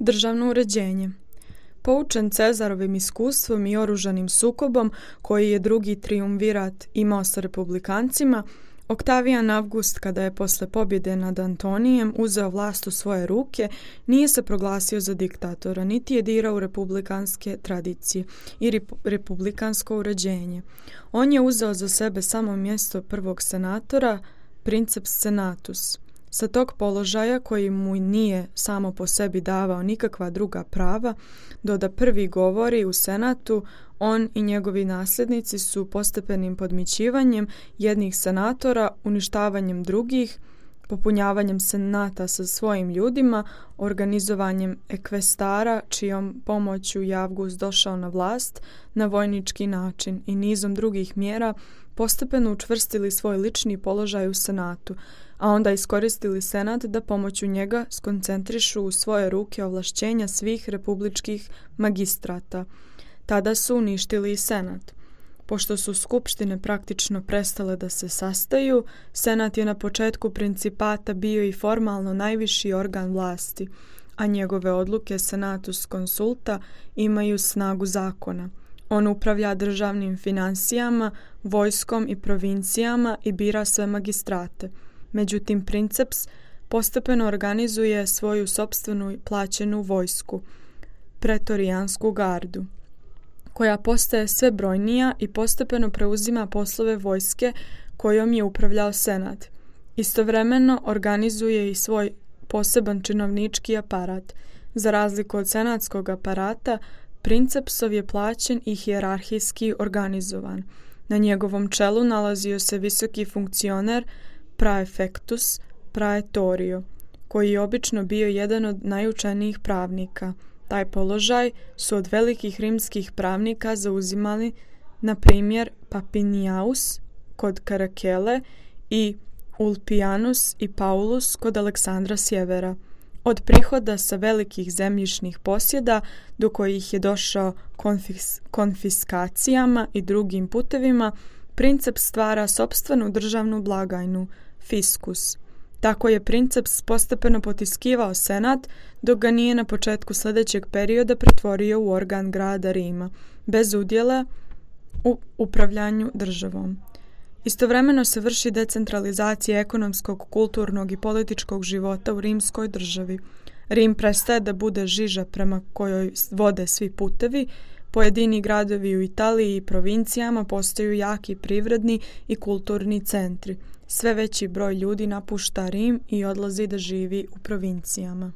Državno uređenje. Poučen Cezarovim iskustvom i oružanim sukobom koji je drugi trijumvirat imao sa republikancima, Oktavijan Avgust, kada je posle pobjede nad Antonijem uzeo vlast u svoje ruke, nije se proglasio za diktatora, niti je dirao u republikanske tradicije i republikansko uređenje. On je uzeo za sebe samo mjesto prvog senatora, princeps senatus. Sa tog položaja, koji mu nije samo po sebi davao nikakva druga prava, da prvi govori u senatu, on i njegovi nasljednici su postepenim podmićivanjem jednih senatora, uništavanjem drugih, popunjavanjem senata sa svojim ljudima, organizovanjem ekvestara, čijom pomoću je Avgust došao na vlast na vojnički način i nizom drugih mjera postepeno učvrstili svoj lični položaj u senatu, a onda iskoristili senat da pomoću njega skoncentrišu u svoje ruke ovlašćenja svih republičkih magistrata. Tada su uništili i senat. Pošto su skupštine praktično prestale da se sastaju, senat je na početku principata bio i formalno najviši organ vlasti, a njegove odluke senatus consulta imaju snagu zakona. On upravlja državnim finansijama, vojskom i provincijama i bira sve magistrate. Međutim, princeps postepeno organizuje svoju sopstvenu plaćenu vojsku, pretorijansku gardu, koja postaje sve brojnija i postepeno preuzima poslove vojske kojom je upravljao senat. Istovremeno organizuje i svoj poseban činovnički aparat. Za razliku od senatskog aparata, princepsov je plaćen i hijerarhijski organizovan. Na njegovom čelu nalazio se visoki funkcioner praefectus praetorio, koji je obično bio jedan od najučenijih pravnika. Taj položaj su od velikih rimskih pravnika zauzimali, na primjer, Papiniaus kod Karakele i Ulpianus i Paulus kod Aleksandra Sjevera. Od prihoda sa velikih zemljišnih posjeda do kojih je došao konfiskacijama i drugim putevima, princeps stvara sopstvenu državnu blagajnu, fiskus. Tako je princeps postepeno potiskivao senat, dok ga nije na početku sljedećeg perioda pretvorio u organ grada Rima, bez udjela u upravljanju državom. Istovremeno se vrši decentralizacija ekonomskog, kulturnog i političkog života u rimskoj državi. Rim prestaje da bude žiža prema kojoj vode svi putevi, pojedini gradovi u Italiji i provincijama postaju jaki privredni i kulturni centri. Sve veći broj ljudi napušta Rim i odlazi da živi u provincijama.